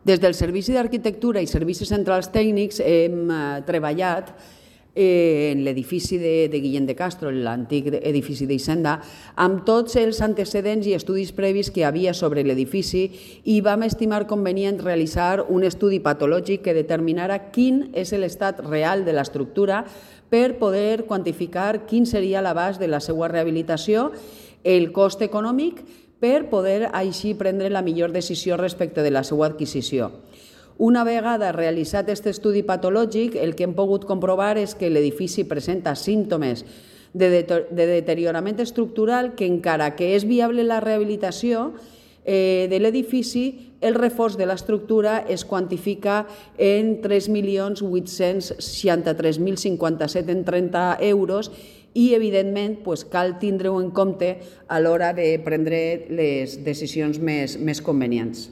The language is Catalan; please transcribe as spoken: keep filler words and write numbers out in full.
Des del Servici d'Arquitectura i Servicis Centrals Tècnics hem treballat en l'edifici de Guillem de Castro, l'antic edifici d'Hisenda, amb tots els antecedents i estudis previs que hi havia sobre l'edifici i vam estimar convenient realitzar un estudi patològic que determinara quin és l'estat real de l'estructura per poder quantificar quin seria l'abast de la seva rehabilitació, el cost econòmic, per poder així prendre la millor decisió respecte de la seva adquisició. Una vegada realitzat aquest estudi patològic, el que hem pogut comprovar és que l'edifici presenta símptomes de deteriorament estructural que, encara que és viable la rehabilitació de l'edifici, el reforç de l'estructura es quantifica en tres milions vuit-cents seixanta-tres mil cinquanta-set coma trenta euros i, evidentment, cal tindre-ho en compte a l'hora de prendre les decisions més convenients.